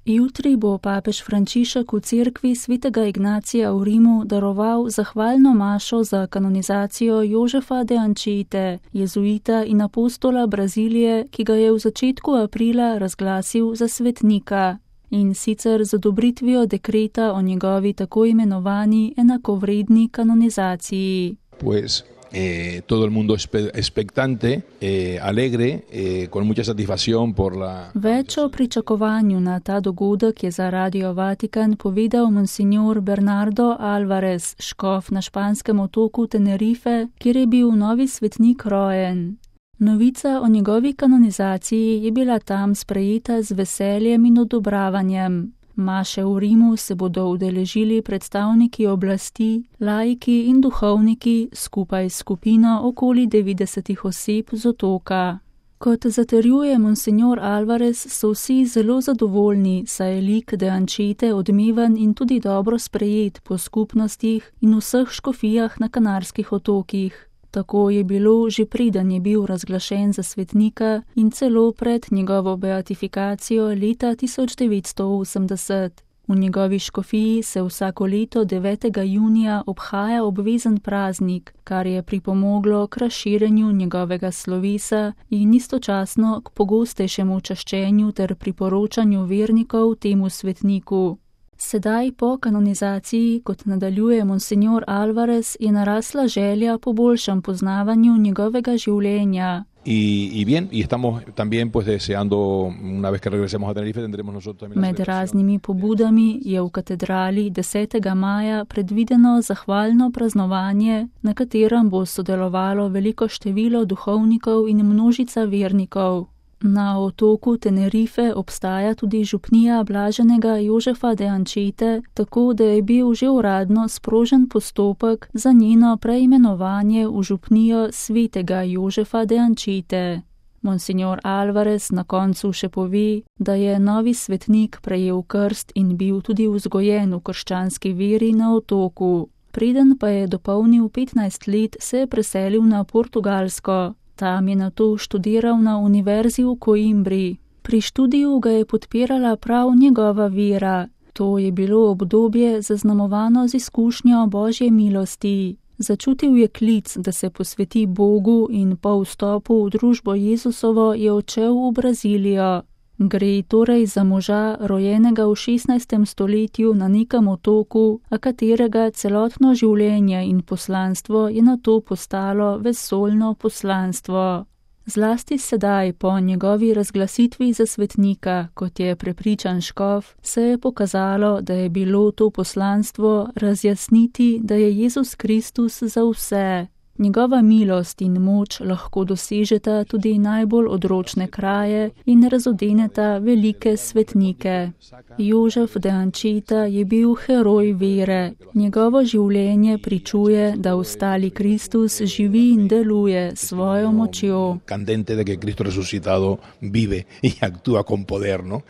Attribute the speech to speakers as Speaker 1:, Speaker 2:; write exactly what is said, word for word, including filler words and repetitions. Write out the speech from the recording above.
Speaker 1: Jutri bo papež Frančišek v cerkvi svetega Ignacija v Rimu daroval zahvalno mašo za kanonizacijo Jožefa de Anchiete, jezuita in apostola Brazilije, ki ga je v začetku aprila razglasil za svetnika. In sicer z odobritvijo dekreta o njegovi tako imenovani enakovredni kanonizaciji.
Speaker 2: Pues... Eh, todo el mundo expectante, eh, alegre, eh, con mucha satisfacción por la...
Speaker 1: Več o pričakovanju na ta dogodek je za Radio Vatikan povedal monsignor Bernardo Alvarez, škof na španskem otoku Tenerife, kjer je bil novi svetnik rojen. Novica o njegovi kanonizaciji je bila tam sprejeta z veseljem in odobravanjem. Maše v Rimu se bodo udeležili predstavniki oblasti, laiki in duhovniki skupaj s skupino okoli devetdesetih oseb z otoka. Kot zatrjuje monsignor Alvarez, so vsi zelo zadovoljni, saj je lik de Anchiete odmeven in tudi dobro sprejet po skupnostih in vseh škofijah na Kanarskih otokih. Tako je bilo že preden je bil razglašen za svetnika in celo pred njegovo beatifikacijo leta tisoč devetsto osemdeset. V njegovi škofiji se vsako leto devetega junija obhaja obvezen praznik, kar je pripomoglo k razširjenju njegovega slovesa in istočasno k pogostejšemu čaščenju ter priporočanju vernikov temu svetniku. Sedaj po kanonizaciji, kot nadaljuje monsignor Alvarez, je narasla želja po boljšem poznavanju njegovega življenja.
Speaker 2: Y, y bien, y estamos también pues deseando, una vez que regresemos a Tenerife, tendremos nosotros también...
Speaker 1: Med raznimi pobudami je v katedrali desetega maja predvideno zahvalno praznovanje, na katerem bo sodelovalo veliko število duhovnikov in množica vernikov. Na otoku Tenerife obstaja tudi župnija blaženega Jožefa de Anchiete, tako da je bil že uradno sprožen postopek za njeno preimenovanje v župnijo svetega Jožefa de Anchiete. Monsignor Alvarez na koncu še pove, da je novi svetnik prejel krst in bil tudi vzgojen v krščanski veri na otoku. Preden pa je dopolnil petnajst let, se je preselil na Portugalsko. Tam je nato študiral na univerzi v Coimbri. Pri študiju ga je podpirala prav njegova vera. To je bilo obdobje zaznamovano z izkušnjo Božje milosti. Začutil je klic, da se posveti Bogu in po vstopu v družbo Jezusovo je odšel v Brazilijo. Gre torej za moža, rojenega v šestnajstem stoletju na nekem otoku, a katerega celotno življenje in poslanstvo je nato postalo vesoljno poslanstvo. Zlasti sedaj, po njegovi razglasitvi za svetnika, kot je prepričan škof, se je pokazalo, da je bilo to poslanstvo razjasniti, da je Jezus Kristus za vse. Njegova milost in moč lahko dosežeta tudi najbolj odročne kraje in razodeneta velike svetnike. Jožef de Anchieta je bil heroj vere. Njegovo življenje pričuje, da ostali Kristus živi in deluje s svojo močjo.
Speaker 2: Candente de que Cristo resucitado vive y actúa con poder, ¿no?